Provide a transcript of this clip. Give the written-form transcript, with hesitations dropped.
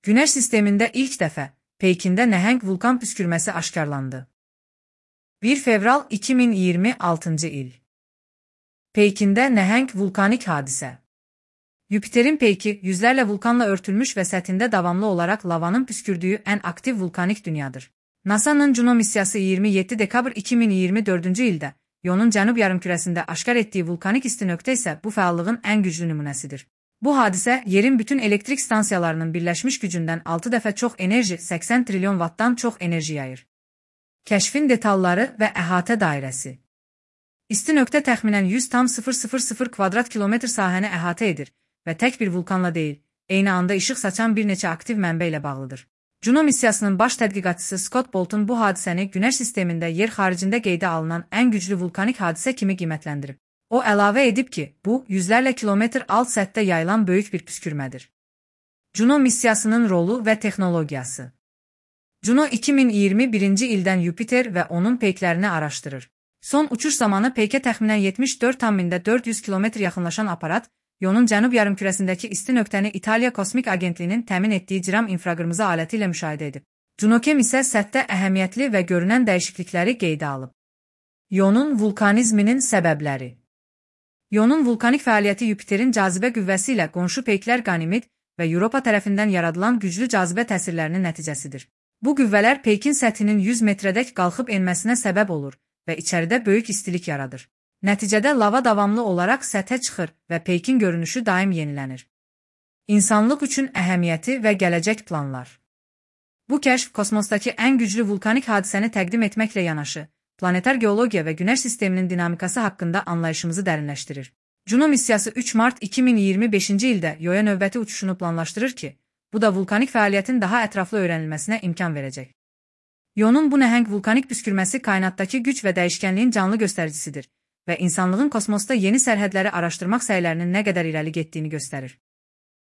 Güneş sistemində ilk dəfə Pekində nəhəng vulkan püskürməsi aşkarlandı. 1 fevral 2026 il. Pekində nəhəng vulkanik hadisə. Yupiterin Peki, yüzlərlə vulkanla örtülmüş və səthində davamlı olaraq lavanın püskürdüyü ən aktiv vulkanik dünyadır. NASA'nın Juno missiyası 27 dekabr 2024 ildə Ionun cənub yarımkürəsində aşkar etdiyi vulkanik istinöqtə isə bu fəallığın ən güclü nümunəsidir. Bu hadisə, yerin bütün elektrik stansiyalarının birləşmiş gücündən 6 dəfə çox enerji, 80 trilyon wattdan çox enerji yayır. Kəşfin detalları və əhatə dairəsi. İstinöqtə təxminən 100,000 kvadrat kilometr sahəni əhatə edir və tək bir vulkanla deyil, eyni anda işıq saçan bir neçə aktiv mənbə ilə bağlıdır. Juno missiyasının baş tədqiqatçısı Scott Bolton bu hadisəni Günəş sistemində yer xaricində qeydə alınan ən güclü vulkanik hadisə kimi qiymətləndirib. O əlavə edib ki, bu, yüzlərlə kilometr alt səthdə yayılan böyük bir püskürmədir. Juno missiyasının rolu və texnologiyası. Juno 2021 ildən Yupiter və onun peyklərini araşdırır. Son uçuş zamanı peykə təxminən 74,400 km yaxınlaşan aparat, Ionun cənub yarımkürəsindəki istinöqtəni İtaliya Kosmik Agentliyinin təmin etdiyi CIRAM infraqırmızı aləti ilə müşahidə edib. Junocam isə səthdə əhəmiyyətli və görünən dəyişiklikləri qeydə alıb. Ionun vulkanizminin səbəbləri. Ionun vulkanik fəaliyyəti Yupiterin cazibə qüvvəsi ilə qonşu peyklər Qanimid və Europa tərəfindən yaradılan güclü cazibə təsirlərinin nəticəsidir. Bu qüvvələr peykin səthinin 100 metrədək qalxıb enməsinə səbəb olur və içəridə böyük istilik yaradır. Nəticədə lava davamlı olaraq səthə çıxır və peykin görünüşü daim yenilənir. İnsanlıq üçün əhəmiyyəti və gələcək planlar. Bu kəşf kosmosdakı ən güclü vulkanik hadisəni təqdim etməklə yanaşı, planetar geologiya və Günəş sisteminin dinamikası haqqında anlayışımızı dərinləşdirir. Juno missiyası 3 mart 2025 ildə Io'ya növbəti uçuşunu planlaşdırır ki, bu da vulkanik fəaliyyətin daha ətraflı öyrənilməsinə imkan verəcək. Ionun bu nəhəng vulkanik püskürməsi kainatdakı güc və dəyişkənliyin canlı göstəricisidir və insanlığın kosmosda yeni sərhədləri araşdırmaq səylərinin nə qədər irəli getdiyini göstərir.